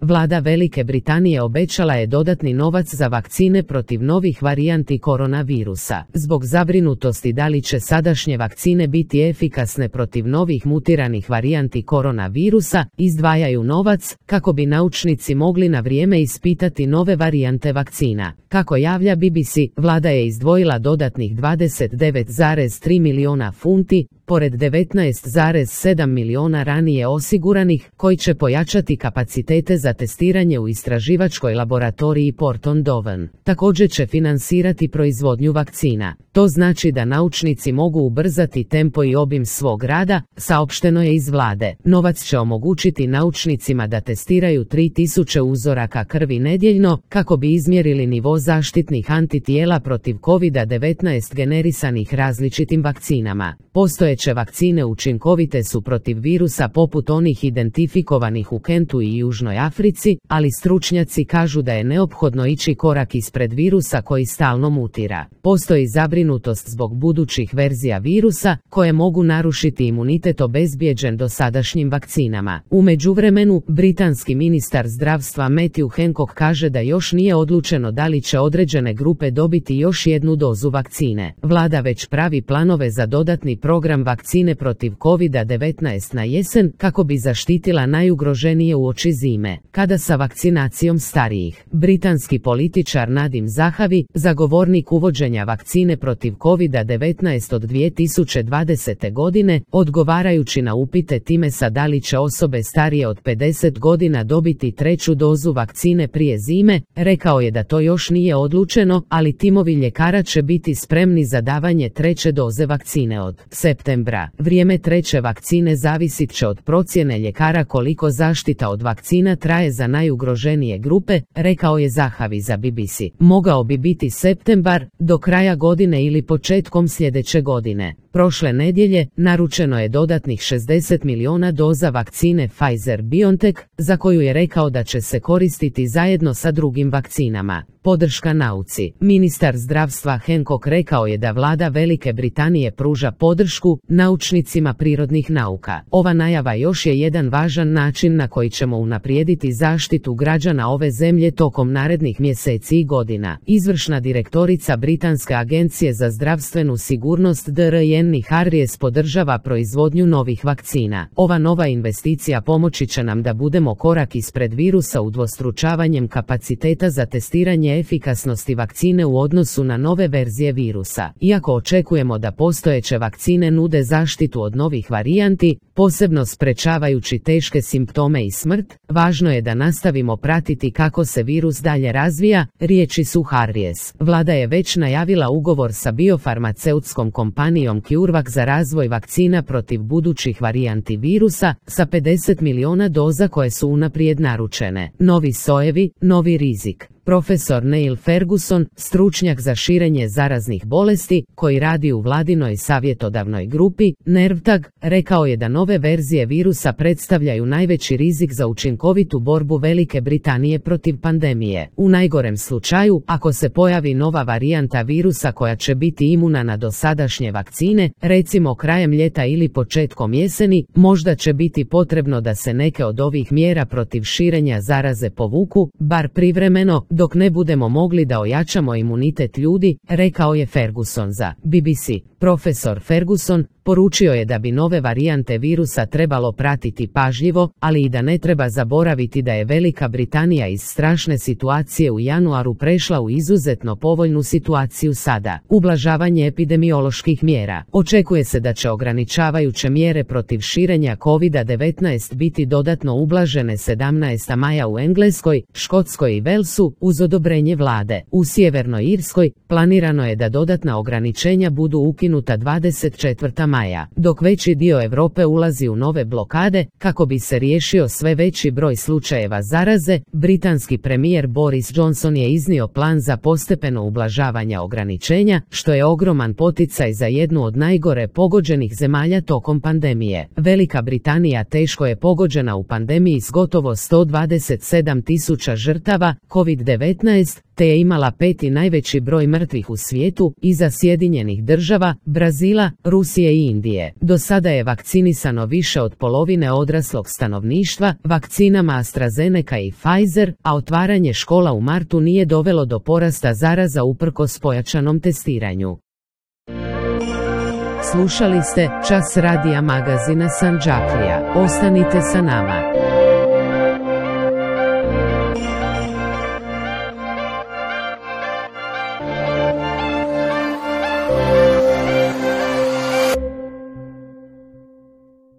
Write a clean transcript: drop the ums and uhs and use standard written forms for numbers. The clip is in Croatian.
Vlada Velike Britanije obećala je dodatni novac za vakcine protiv novih varijanti koronavirusa. Zbog zabrinutosti da li će sadašnje vakcine biti efikasne protiv novih mutiranih varijanti koronavirusa, izdvajaju novac kako bi naučnici mogli na vrijeme ispitati nove varijante vakcina. Kako javlja BBC, vlada je izdvojila dodatnih 29,3 milijuna funti, pored 19,7 milijuna ranije osiguranih, koji će pojačati kapacitete za testiranje u istraživačkoj laboratoriji Porton Down. Također će finansirati proizvodnju vakcina. To znači da naučnici mogu ubrzati tempo i obim svog rada, saopšteno je iz vlade. Novac će omogućiti naučnicima da testiraju 3000 uzoraka krvi nedjeljno, kako bi izmjerili nivo zaštitnih antitijela protiv COVID-19 generisanih različitim vakcinama. Postojeće vakcine učinkovite su protiv virusa poput onih identifikovanih u Kentu i Južnoj Africi, ali stručnjaci kažu da je neophodno ići korak ispred virusa koji stalno mutira. Postoji zabrinutost zbog budućih verzija virusa, koje mogu narušiti imunitet obezbijeđen dosadašnjim vakcinama. U međuvremenu, britanski ministar zdravstva Matthew Hancock kaže da još nije odlučeno da li će određene grupe dobiti još jednu dozu vakcine. Vlada već pravi planove za dodatni program vakcine protiv COVID-19 na jesen, kako bi zaštitila najugroženije uoči zime, kada sa vakcinacijom starijih. Britanski političar Nadim Zahavi, zagovornik uvođenja vakcine protiv COVID-19 od 2020. godine, odgovarajući na upite Timesa da li će osobe starije od 50 godina dobiti treću dozu vakcine prije zime, rekao je da to još nije odlučeno, ali timovi ljekara će biti spremni za davanje treće doze vakcine od septembra. Vrijeme treće vakcine zavisit će od procjene ljekara koliko zaštita od vakcina traje za najugroženije grupe, rekao je Zahavi za BBC. Mogao bi biti septembar, do kraja godine ili početkom sljedeće godine. Prošle nedjelje naručeno je dodatnih 60 milijuna doza vakcine Pfizer-BioNTech, za koju je rekao da će se koristiti zajedno sa drugim vakcinama. Podrška nauci. Ministar zdravstva Hancock rekao je da vlada Velike Britanije pruža podršku naučnicima prirodnih nauka. Ova najava još je jedan važan način na koji ćemo unaprijediti zaštitu građana ove zemlje tokom narednih mjeseci i godina. Izvršna direktorica Britanske agencije za zdravstvenu sigurnost DRN Annie Harries podržava proizvodnju novih vakcina. Ova nova investicija pomoći će nam da budemo korak ispred virusa udvostručavanjem kapaciteta za testiranje efikasnosti vakcine u odnosu na nove verzije virusa. Iako očekujemo da postojeće vakcine nude zaštitu od novih varijanti, posebno sprečavajući teške simptome i smrt, važno je da nastavimo pratiti kako se virus dalje razvija, riječi su Harries. Vlada je već najavila ugovor sa biofarmaceutskom kompanijom CureVac za razvoj vakcina protiv budućih varijanti virusa, sa 50 milijuna doza koje su unaprijed naručene. Novi sojevi, novi rizik. Profesor Neil Ferguson, stručnjak za širenje zaraznih bolesti, koji radi u vladinoj savjetodavnoj grupi, NERVTAG, rekao je da nove verzije virusa predstavljaju najveći rizik za učinkovitu borbu Velike Britanije protiv pandemije. U najgorem slučaju, ako se pojavi nova varijanta virusa koja će biti imuna na dosadašnje vakcine, recimo krajem ljeta ili početkom jeseni, možda će biti potrebno da se neke od ovih mjera protiv širenja zaraze povuku, bar privremeno, dok ne budemo mogli da ojačamo imunitet ljudi, rekao je Ferguson za BBC. Profesor Ferguson poručio je da bi nove varijante virusa trebalo pratiti pažljivo, ali i da ne treba zaboraviti da je Velika Britanija iz strašne situacije u januaru prešla u izuzetno povoljnu situaciju sada. Ublažavanje epidemioloških mjera. Očekuje se da će ograničavajuće mjere protiv širenja COVID-19 biti dodatno ublažene 17. maja u Engleskoj, Škotskoj i Walesu uz odobrenje vlade. U Sjevernoj Irskoj planirano je da dodatna ograničenja budu ukinuta 24. maja, dok veći dio Europe ulazi u nove blokade kako bi se riješio sve veći broj slučajeva zaraze. Britanski premijer Boris Johnson je iznio plan za postepeno ublažavanje ograničenja, što je ogroman poticaj za jednu od najgore pogođenih zemalja tokom pandemije. Velika Britanija teško je pogođena u pandemiji s gotovo 127.000 žrtava COVID-19. COVID-19, te je imala 5. najveći broj mrtvih u svijetu, iza Sjedinjenih Država, Brazila, Rusije i Indije. Do sada je vakcinisano više od polovine odraslog stanovništva vakcinama AstraZeneca i Pfizer, a otvaranje škola u martu nije dovelo do porasta zaraza uprkos pojačanom testiranju. Slušali ste Čas radija magazina Sandžaklija. Ostanite sa nama.